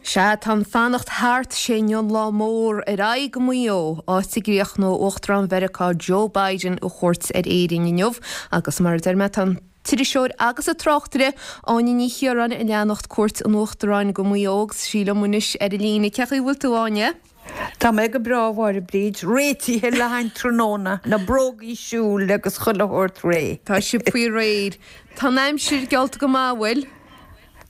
Sea, tá an fanacht thart, sé inniu an lá mór, ar aghaidh go Maigh Eo, áit a gcríochnóidh Uachtarán Mheiriceá Joe Biden a chuairt ar Éirinn inniu agus mar a deir mé tá an t-iriseoir agus an tráchtaire Áine Ní Chiaráin ag leanacht cuairt an Uachtaráin go Maigh Eo agus í liom anois ar an líne. Cén chaoi a bhfuil tú, a Áine? Tá mé go breá, a Mháire Bríd, réitithe le haghaidh an tráthnóna, na brógaí siúil agus chuile shórt réidh. Tá sibh faoi réir. Tá an aimsir geallta go maith, an bhfuil?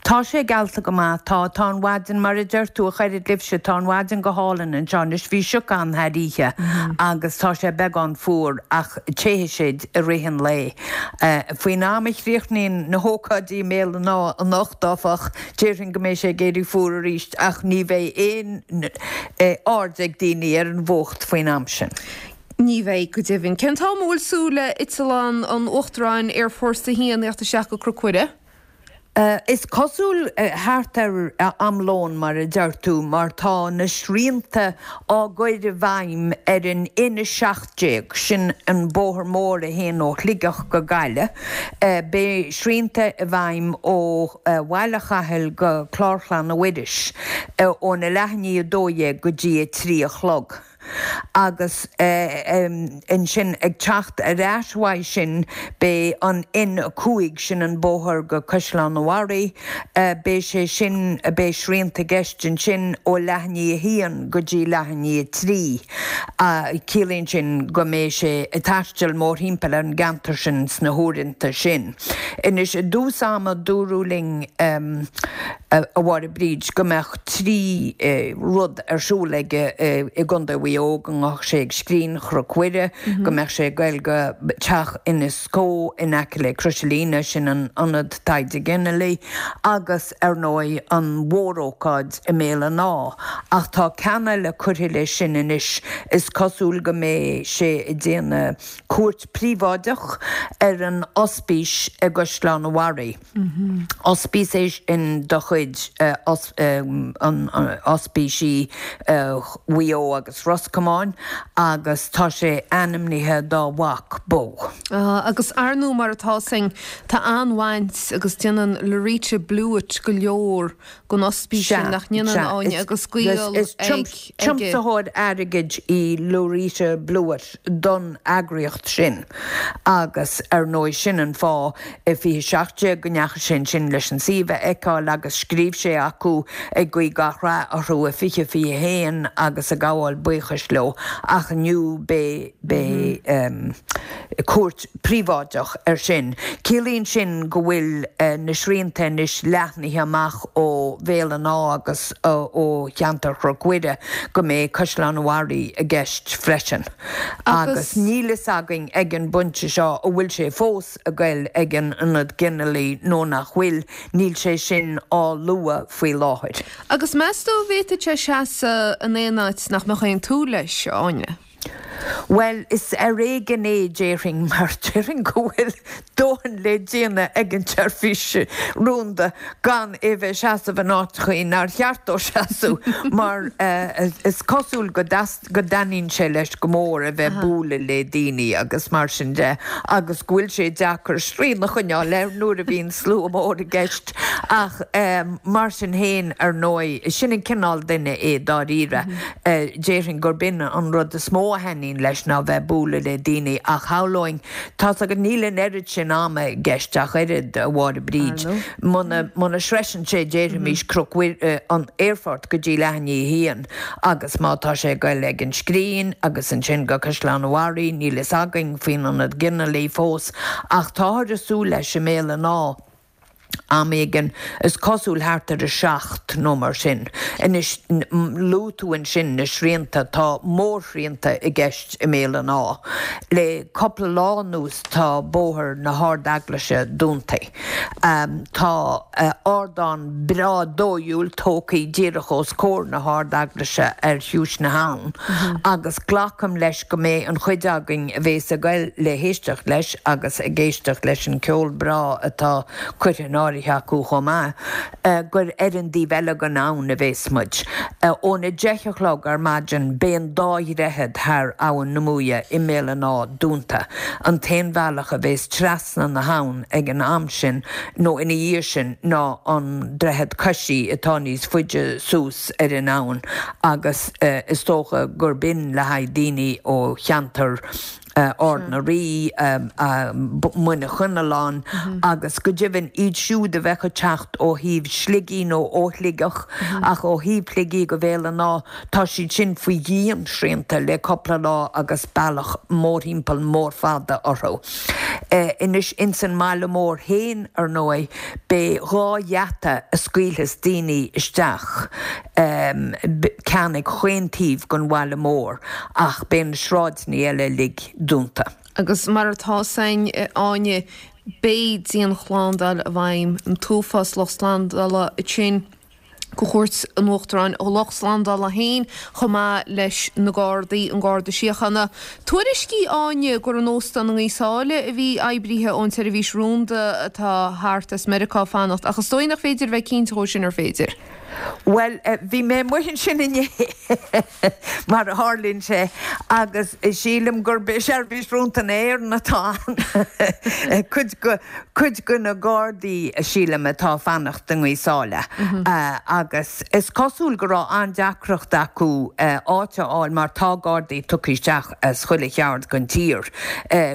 Tá sé geallta go maith, tá. Tá an mhaidin, mar a deir tú, a chaired libhse, tá an mhaidin go hálainn anseo anois. Bhí sioc ann thar oíche agus tá sé beagán fuar ach téifidh sé i rith an lae. Faoin am a chríochnaíonn na hócáidí i mBéal an Átha anocht, áfach, déarfainn go mbeidh sé ag éirí fuar arís ach ní bheidh aon aird ag daoine ar an bhfuacht faoin am sin. Ní bheidh, go deimhin. Cén t-am a bhfuil súil le eitleán an Uachtaráin Air Force 1 a theacht isteach go Cnoc Mhuire? Is cosúil thart ar am lóin, mar a deir tú, mar tá na srianta á gcur i bhfeidhm ar an N17, sin an bóthar mór a théann ó Shligeach go Gaillimh. Beidh srianta i bhfeidhm ó Bhaile Chathail go Clár Chlainne Mhuiris óna leath i ndiaidh 12 go dtí 3 a chlog. Agus ansin ag teacht ar ais uaidh sin beidh an N5, sin an bóthar go Caisleán an Bharraigh, beidh sé sin, beidh srianta i gceist ansin ó leath i ndiaidh a haon go dtí leath i ndiaidh a trí. Ciallaíonn sin go mbeidh sé ag taisteal mórthimpeall ar an gceantar sin sna huaireanta sin. Anois i dtús ama dúradh linn, a Mháire Bríd, go mbeadh 3 rud ar siúl aige i gContae Mhaigh Eo, go ngabhfadh sé ag Scrín Chnoc Mhuire, go mbeadh sé ag goil go teach Inis Có in aice le Crois an Líne, sin an Ionad Taighde Ginealaigh, agus ar ndóigh an mhórócáid i mBéal an Átha. Ach tá ceann eile curtha leis sin anois, is cosúil go mbeidh sé ag déanamh cuairt phríobháideach ar an ospís i gCaisleán an Bharraigh. Ospís é sin de chuid Ospísí Mhaigh Eo agus Ros Comáin agus tá sé ainmnithe dá mhac, Bo. Agus ar ndóigh mar atá 's againn, tá an-bhaint agus déanann Loretta Blewitt go leor don ospís sin, nach ndéanann, Áine, agus gaol ag. Is tiomsaitheoir airgid í Loretta Blewitt don eagraíocht sin agus ar ndóigh sin an fáth i 2017 go ndeachaigh sé ansin leis an suíomh a fheiceáil agus scríobh sé acu ag guí gach rath orthu i 2021 agus ag gabháil buíochais leo ach inniu beidh cuairt príobháideach air sin. Ciallaíonn sin go bhfuil na srianta anois leathnaithe amach ó Bhéal an Átha agus ó cheantar Chnoc Mhuire go mbeidh Caisleán an Bharraigh i gceist freisin. Agus níl fhios againn ag an bpointe seo an bhfuil sé fós ag goil ag an Ionad Ginealaigh nó nach bhfuil, níl sé sin á lua faoi láthair. Agus meas tú an bhféadfadh sé seasamh in aon áit nach mbeadh aon tsúil leis, a Áine? Bhuel, is ar éigean é, déarfainn, mar déarfainn go bhfuil dóthain le déanamh ag an tseirbhís rúnda gan é bheith ag seasamh in áiteachaí nár cheart dó seasamh, mar is cosúil go go dtaitníonn sé leis go mór a bheith ag bualadh le daoine agus mar sin de, agus go bhfuil sé deacair srian a choinneáil air nuair a bhíonn slua mór i gceist. Ach mar sin féin, ar ndóigh, sin an cineál duine é dáiríre. Déarfainn gurb in an rud is mó a thaitníonn leis ná bheith ag bualadh le daoine ach shamhlóinn, tá's agat, níl an oiread sin ama i gceist ach oiread, a Mháire Bríd. Muna, muna sroiseann sé, déarfaimis, Cnoc Mhuire, an aerfort go dtí leath i ndiaidh a haon agus má tá sé ag goil ag an Scrín agus ansin go Caisleán an Bharraigh, níl fhios againn faoin Ionad Ginealaigh fós ach táthar ag súil leis i mBéal an Átha. Am éigin, is cosúil thart ar a 7 nó mar sin. Anois, luaigh tú ansin na srianta, tá mórshrianta i gceist i mBéal an Átha. Le cúpla lá anuas tá bóthar na hArd-Eaglaise dúnta. Tá ardán breá dóighiúil tógtha díreach os comhair na hArd-Eaglaise ar chiumhais na habhann agus glacaim leis go mbeidh an chuid againn a bhéas ag goil le héisteacht leis agus ag éisteacht leis an ceol breá atá curtha in. áirithe acu chomh maith, gur ar an dtaobh eile den abhainn a bhéas muid. Óna 10 a chlog ar maidin beidh an dá dhroichead thar Abhainn na Muaidhe i mBéal an Átha dúnta. An t-aon bhealach a bhéas trasna na habhann ag an am sin nó ina dhiaidh sin ná an droichead coisí atá níos faide suas ar an abhainn agus is dócha gurb in le haghaidh daoine ó cheantar Ard na Rí, Muine Choinnealláin agus go deimhin iad siúd a bheadh ag teacht ó thaobh Shligigh nó ó Shligeach ach ó thaobh Shligigh go Bhéal an Átha, tá siad sin faoi dhian-srianta le cúpla lá agus bealach mórthimpeall mór fada orthu. Anois ins an mbaile mór féin, ar ndóigh, beidh 2 gheata a scaoilfeas daoine isteach. ceann ag chaon taobh den bhaile mór ach beidh na sráideanna eile uilig dúnta. Agus mar atá 's againn, a Áine, beidh dianshlándáil i bhfeidhm, an t-uafás lucht slándála ansin do chuairt an Uachtaráin, a lucht slándála féin chomh maith leis na Gardaí, an Garda Síochána. Tuairiscí, Áine, gur in óstán i nGaoth Sáile a bhí oibrithe ón tseirbhís rúnda atá thart as Meiriceá ag fanacht ach is dóigh nach féidir a bheith cinnte dhó sin, ar féidir? Bhuel, bhí mé amuigh ansin inné, mar a tharlaíonn sé, agus sílim gurb é Seirbhís Rúnda na hÉireann atá ann. Cuid de, cuid de na Gardaí, sílim, atá ag fanacht i nGaoth Sáile. Agus is cosúil go raibh an-deacracht acu áit a fháil mar tá Gardaí tugtha isteach as chuile cheard den tír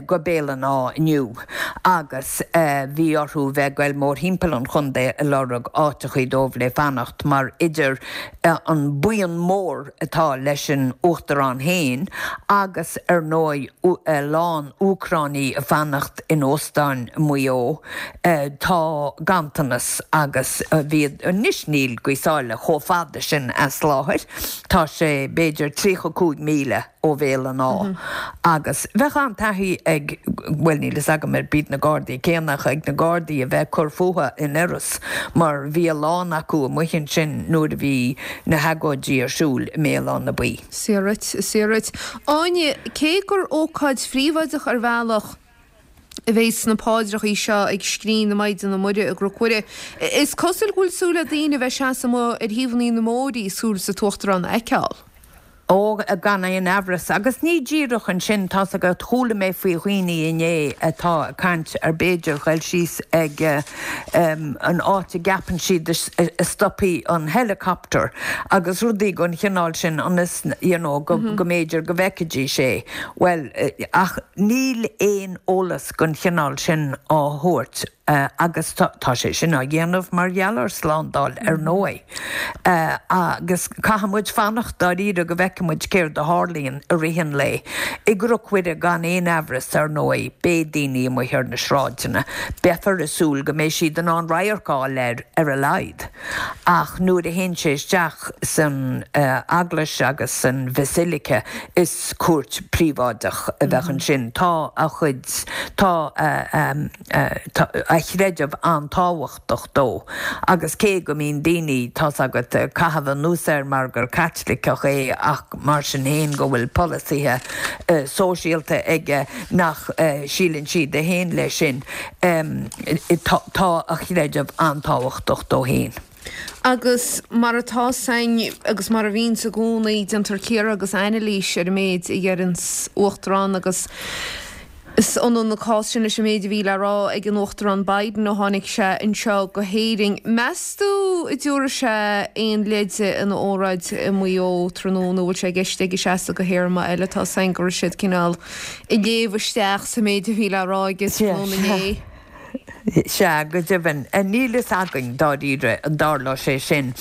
go Béal an Átha inniu. agus bhí orthu bheith ag goil mórthimpeall an chontae ag lorg áiteachaí dóibh le fanacht mar idir an buíon mór atá leis an Uachtarán féin agus ar ndóigh a lán Úcránaigh ag fanacht in óstáin i Maigh Eo tá ganntanas agus bhí anois níl Gaoth Sáile chomh fada sin as láthair tá sé b'fhéidir 35 míle ó Bhéal an Átha agus bheadh an-taithí ag, bhuel níl fhios agam ar b'iad na Gardaí céanna ach ag na Gardaí a bheith ag cur fúthu in Iorras mar bhí a lán acu amuigh ansin nuair a bhí na hagóidí ar siúl i mBéal Átha na Buí. Saor duit, saor duit. Áine, cé gur ócáid phríobháideach ar bhealach a bheidh sna paidreachaí seo ag Scrín na Maighdine Muire i gCnoc Mhuire, is cosúil go bhfuil súil ag daoine a bheith ag seasamh amuigh ar thaobhannaí na mbóithrí súil sa tUachtarán a fheiceáil. Ó, gan aon amhras. Agus ní díreach ansin, tá's agat, chuala mé faoi dhaoine inné atá ag caint ar b'fhéidir ghoil síos ag an áit a gceapann siad a stopfaidh an helicopter agus rudaí den chineál sin ionas, you know, go mb'fhéidir go bhfeicfidís é. Bhuel, ach níl aon eolas den chineál sin á thabhairt. Agus tá sé sin á dhéanamh mar gheall ar slándáil, ar ndóigh. Agus caithfidh muid fanacht dáiríre go bhfeicfidh muid céard a tharlaíonn i rith an lae. I gCnoc Mhuire, gan aon amhras, ar ndóigh, beidh daoine amuigh ar na sráideanna. Beifear ag súil go mbeidh siad in ann radharc a fháil air, ar a laghad. Ach nuair a théann sé isteach san eaglais agus san bhasilica, is cuairt phríobháideach a bheadh ansin. Tá a chuid, tá a chreideamh an-tábhachtach dó. Agus cé go mbíonn daoine, tá's agat, ag caitheamh anuas air mar gur Caitliceach é ach mar sin féin go bhfuil polasaithe sóisialta aige nach síleann siad a théann leis sin, Tá a chreideamh an-tábhachtach dó féin. Agus mar atá 's againn, agus mar a bhíonns i gcónaí, déantar cíoradh agus anailís ar an méid a dheireanns Uachtarán agus is ionann an cás sin leis an méid a bhí le rá ag an Uachtarán Biden ó tháinig sé anseo go hÉirinn. Meas tú an dtabharfaidh sé aon leide ina óráid i Maigh Eo tráthnóna nó an bhfuil sé i gceist aige seasamh go théarma eile? Tá 's againn go raibh siad cineál ag léamh isteach sa méid a bhí le rá aige tráthnóna inné. Sea, go deimhin. Níl fhios againn, dáiríre, an dtarlóidh sé sin.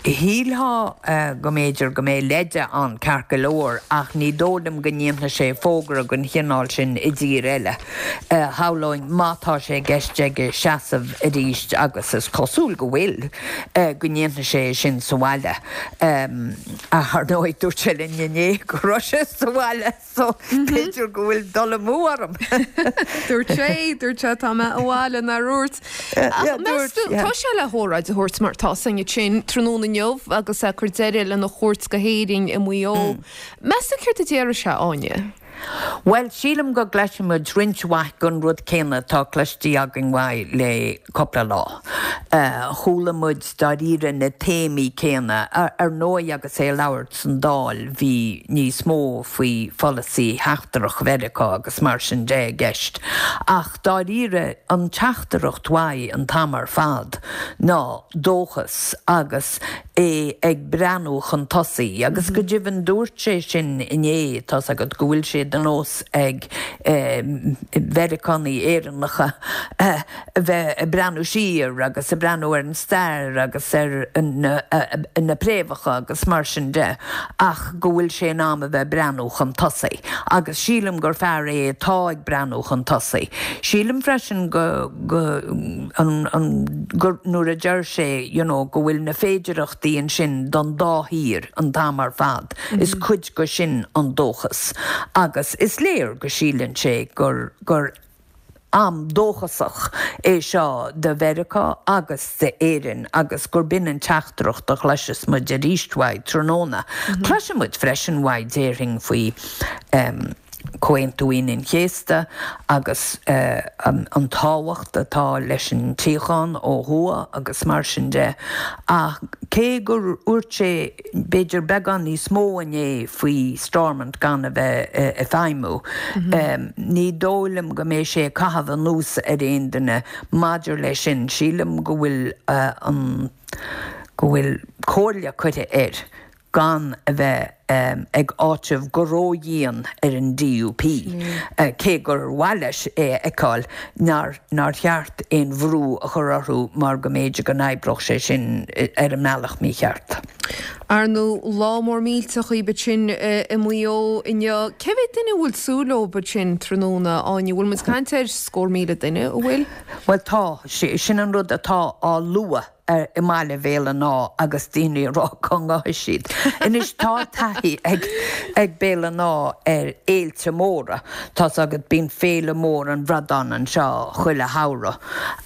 Shílfeá go mb'fhéidir go mbeidh leide ann ceart go leor, ach ní dóigh liom go ndéanfaidh sé fógra den chineál sin i dtír eile. Shamhlóinn, má tá sé i gceist aige seasamh arís, agus is cosúil go bhfuil, go ndéanfaidh sé é sin sa bhaile. Ach, ar ndóigh, dúirt sé linn inné go raibh sé sa bhaile. So, b'fhéidir go bhfuil dul amú orm. Dúirt sé, dúirt sé, tá mé abhaile, nár dhúirt? Ach meas tú, tá sé le hóráid a thabhairt mar tá 's againn ansin tráthnóna inniu agus é ag cur deireadh lena chuairt go hÉirinn i Maigh Eo. Meas tú céard a déarfaidh sé, Áine? Bhuel, sílim go gcloisfidh muid roinnt mhaith den rud céanna atá cloiste againn uaidh le cúpla lá. Chuala muid dáiríre na téamaí céanna. Ar ndóigh agus é ag labhairt san Dáil bhí níos mó faoi pholasaí sheachtrach Mheiriceá agus mar sin de i gceist. Ach dáiríre an teachtaireacht uaidh an t-am ar fad ná dóchas agus é ag breathnú chun tosaigh agus go deimhin dúirt sé sin inné, tá's agat, go bhfuil sé de nós ag Meiriceánaigh Éireannacha a bheith ag breathnú siar agus ag breathnú ar an stair agus ar na préamhacha agus mar sin de ach go bhfuil sé in am a bheith ag breathnú chun tosaigh agus sílim gur fear é atá ag breathnú chun tosaigh. Sílim freisin go. go, an, an, gur, nuair a deir sé, you know, go bhfuil na féidireachtaí ansin don dá thír an t-am ar fad, is cuid de sin an dóchas. Agus is léir go síleann sé gur, gur am dóchasach é seo do Mheiriceá agus d'Éirinn agus gur b'in an teachtaireacht a chloisfeas muid arís uaidh tráthnóna. Cloisfidh muid freisin uaidh, déarfainn, faoi, Comhaontú Aoine an Chéasta agus an tábhacht atá leis an tsíocháin ó thuaidh agus mar sin de. Ach cé gur dhúirt sé b'fhéidir beagán níos mó inné faoi Stormont gan a bheith ag feidhmiú, ní dóigh liom go mbeidh sé ag caitheamh anuas ar aon duine maidir leis sin. Sílim go bhfuil an, go bhfuil comhairle curtha air gan a bheith ag áiteamh go ródhian ar an DUP, cé gur mhaith leis é a fheiceáil, nár nár cheart aon bhrú a chur orthu mar go mb'fhéidir go n-oibreodh sé sin ar an mbealach mícheart. Ar ndóigh, lá mór millteach daoibh ansin i Maigh Eo inniu. Cé mhéad duine a bhfuil súil leo ansin tráthnóna, Áine? Bhfuil muid ag caint ar scór 1,000 duine, an bhfuil? Bhuel tá, sin an rud atá á lua. i mbaile Bhéal an Átha agus daoine ag rá cá ngabhfaidh siad. Anois tá taithí ag ag Béal an Átha ar fhéilte móra. Tá's agat bíonn Féile Mór an Bhradáin anseo chuile shamhradh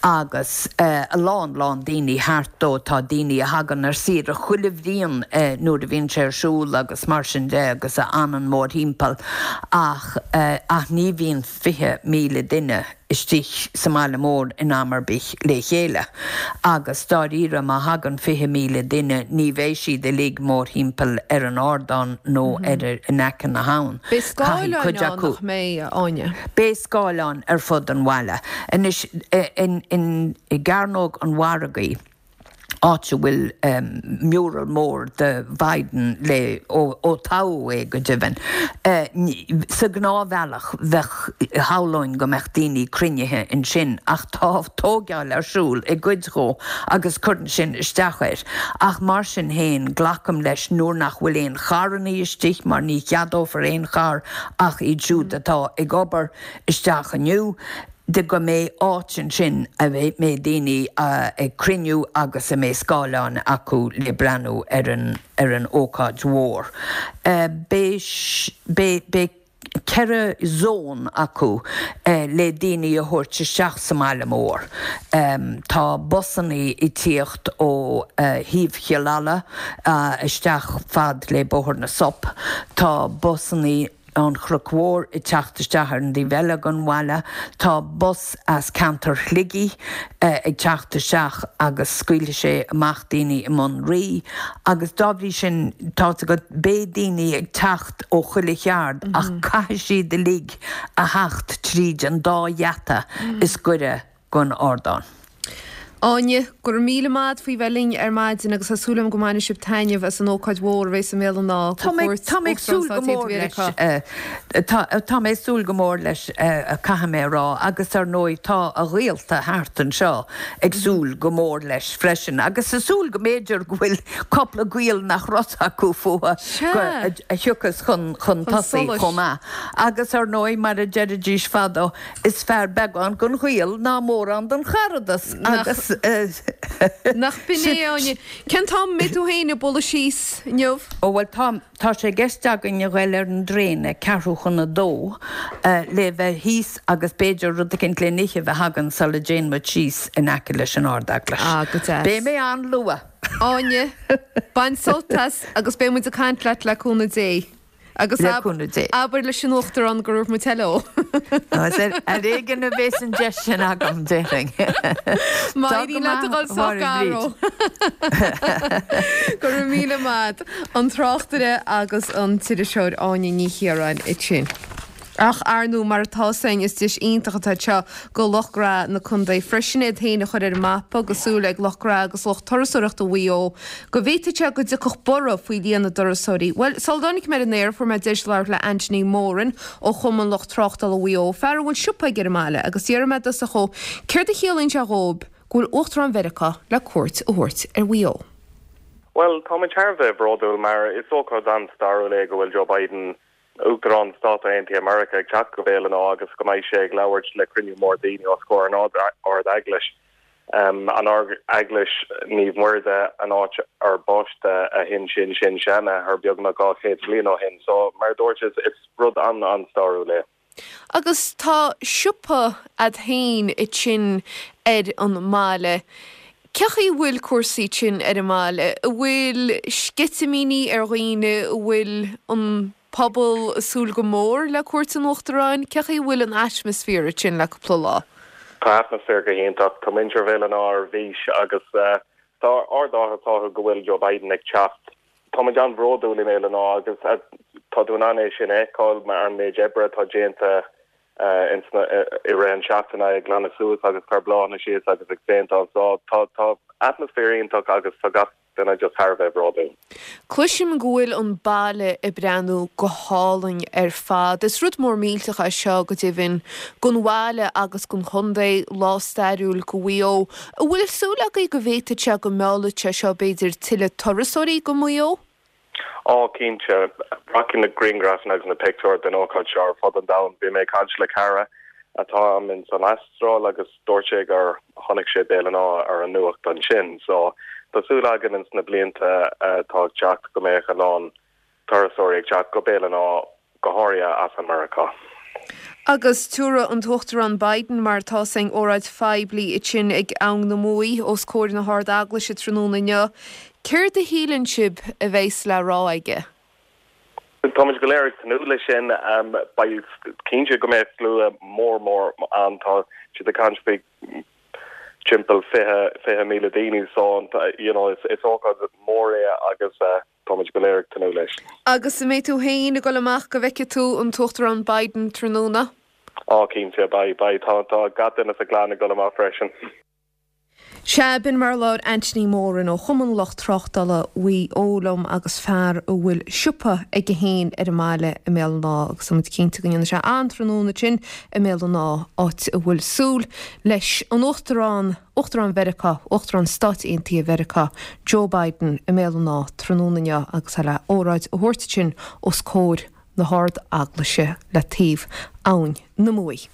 agus a lán lán daoine thart dó. Tá daoine a thagann ar saoire chuile bhliain nuair a bhíonn sé ar siúl agus mar sin de agus a fhanann mórthimpeall ach ach ní bhíonn 20,000 duine istigh sa mbaile mór in am ar bith le chéile agus dáiríre má thagann 20,000 duine ní bheidh siad uilig mórthimpeall ar an ardán nó ar in aice na habhann. Beidh scáileáin ann nach mbeidh, a Áine? Beidh scáileáin ar fud an bhaile. Anois i gCearnóg an Mhargaidh, áit a bhfuil mural mór de Biden le ó toghadh é go deimhin. Sa ghnáthbhealach bheadh, shamhlóinn go mbeadh daoine cruinnithe ansin ach tá tóigeáil ar siúl i gcuid dhó agus cuireann sin isteach air. Ach mar sin féin, glacaim leis nuair nach bhfuil aon charrannaí istigh mar ní cheadófar aon charr ach iad siúd atá ag obair isteach inniu, de go mbeidh áit ansin a mbeidh daoine ag cruinniú agus a mbeidh scáileáin acu le breathnú ar an ar an ócáid mhór. Beidh beidh beidh 4 zón acu le daoine a thabhairt isteach sa mbaile mór. Tá busannaí ag tíocht ó thaobh Chill Ala isteach fad le Bóthar na Sop. Tá busannaí ón Chnoc Mhór ag teacht isteach ar an dtaobh eile den bhaile. Tá bus as ceantar Shligigh ag teacht isteach agus scaoilfidh sé amach daoine i mBun Rí agus dá bhrí sin tá's agat beidh daoine ag teacht ó chuile cheard ach caithfidh siad uilig a theacht tríd an dá gheata is gaire don ardán. Áine, go raibh míle maith agat faoi bheith linn ar maidin agus tá súil agam go mbainfidh sibh taitneamh as an ócáid mhór a bheidh i mBéal an Átha do chuairt Tá mé ag súil go mór leis, tá mé ag súil go mór leis caithfidh mé a rá agus ar ndóigh tá a ghaolta thart anseo ag súil go mór leis freisin agus ag súil go mb'fhéidir go bhfuil cúpla gaol nach raibh acu fúthu a thiocfas chun tosaigh chomh maith agus ar ndóigh mar a deiridís fadó Is fearr beagán den ghaol ná mórán den charadas agus. Nach b'in é, Áine? Cén t-am a mbeidh tú féin ag bualadh síos inniu? Ó bhuel tá, tá sé i gceist againn a ghoil ar an dtraein ag ceathrú chun a dó le bheith thíos agus b'fhéidir rud eicínt le n-ithe a bheith againn sula dtéann muid síos in aice leis an Ard-Eaglais. Ah, go deas. Beidh mé an-luath! Áine, bain sult as agus beidh muid ag caint leat le cúnamh Dé. Agus Le cúnamh Dé. abair leis an Uachtarán go raibh muid hello. Is ar éigean a bhéas an deis sin agam, déarfainn. Má éiríonn leat a dhul sách gar dó. Go raibh míle maith a't. An tráchtaire agus an t-iriseoir Áine Ní Chiaráin ansin. Ach, ar ndóigh, mar atá 's againn, is deis iontach atá anseo go lucht gnó na contae freisin iad féin a chur ar an mapa agus súil ag lucht gnó agus lucht turasóireachta Mhaigh Eo go bhféadfadh sé go dtiocfadh borradh faoi líon na dturasóirí. Bhuel, sula dtáinig mé ar an aer fuair mé deis labhairt le Anthony Moran ó Chumann Lucht Tráchtála Mhaigh Eo, fear a bhfuil siopa aige ar an mbaile, agus d'fhiafraigh mé i dtosach dhó céard a chiallaíonn sé dhóibh go bhfuil Uachtarán Mheiriceá le cuairt a thabhairt ar Mhaigh Eo. Bhuel, táimid thar a bheith bródúil mar is ócáid an-stairiúil é go bhfuil Joe Biden Uachtarán Stáit Aontaithe Meiriceá ag teacht go Béal an Átha agus go mbeidh sé ag labhairt le cruinniú mór daoine os comhair an Ard-Eaglais. An Ard-Eaglais Naomh Muire an áit ar baisteadh a shin-sin-sin-seanathair beagnach 200 bliain ó shin. So, mar a dúirt, is rud an-an-stairiúil é. Agus tá siopa a'd féin ansin ar an mbaile. Cé chaoi a bhfuil cúrsaí ansin ar an mbaile? An bhfuil sceitimíní ar dhaoine? An bhfuil an pobal ag súil go mór le cuairt an Uachtaráin? Cé chaoi a bhfuil an atmaisféar ansin le cúpla lá? Tá atmaisféar go hiontach. Tá muintir Bhéal an Átha ar bís agus tá ardáthas orthu go bhfuil Joe Biden ag teacht. Táimid an-bhródúil i mBéal an Átha agus tá tú in ann é sin a fheiceáil mar an méid oibre atá déanta i rith an seachtaine ag glanadh suas agus cur bláthanna síos agus ag péinteáil. So tá tá atmaisféar iontach agus tá gach duine just thar a bheith bródúil. Cloisim go bhfuil an baile ag breathnú go hálainn ar fad. Is rud mór millteach é seo go deimhin don bhaile agus don chontae, lá stairiúil go Mhaigh Eo. An bhfuil súil agaibh go bhféadfadh sé go meallfadh sé seo b'fhéidir tuilleadh turasóirí go Maigh Eo? Á, cinnte. Rachaidh na grianghrafanna agus na pictiúir den ócáid seo ar fud an domhain. Bhí mé ag caint le cara atá agam ins an Astráil agus dúirt sé gur chonaic sé Béal an Átha ar an nuacht ansin. So, tá súil againn ins na blianta atá ag teacht go mbeadh a lán turasóirí ag teacht go Béal an Átha, go háirithe as an Meiriceá. Agus tabharfaidh an tUachtarán Biden, mar atá 's againn, óráid phoiblí ansin ag Abhainn na Muaidhe os comhair na hArd-Eaglaise tráthnóna inniu. Céard a shíleann sibh a bheas le rá aige? Táimid go léir ag tnúth leis sin. Beidh cinnte go mbeidh slua mór mór ann. Tá siad ag caint faoi timpeall 20,000 daoine so you know is ócáid mhór é agus Táimid go léir ag tnúth leis. Agus an mbeidh tú féin ag dul amach go bhfeicfidh tú an tUachtarán Biden tráthnóna? Á, cinnte, beidh, beidh. Tá, tá gach duine sa gclann ag dul amach freisin. Sea, b'in mar a labhair Anthony Moran ó Chumann Lucht Tráchtála Mhaigh Eo liom agus fear a bhfuil siopa aige féin ar an mbaile i mBéal an Átha agus tá muid cinnte go ndéanfaidh sé an-tráthnóna ansin i mBéal an Átha, áit a bhfuil súil leis an Uachtarán Uachtarán Mheiriceá, Uachtarán Stáit Aontaithe Mheiriceá, Joe Biden i mBéal an Átha tráthnóna inniu agus é le óráid a thabhairt ansin os comhair na hArd-Eaglaise le taobh Abhainn na Muaidhe.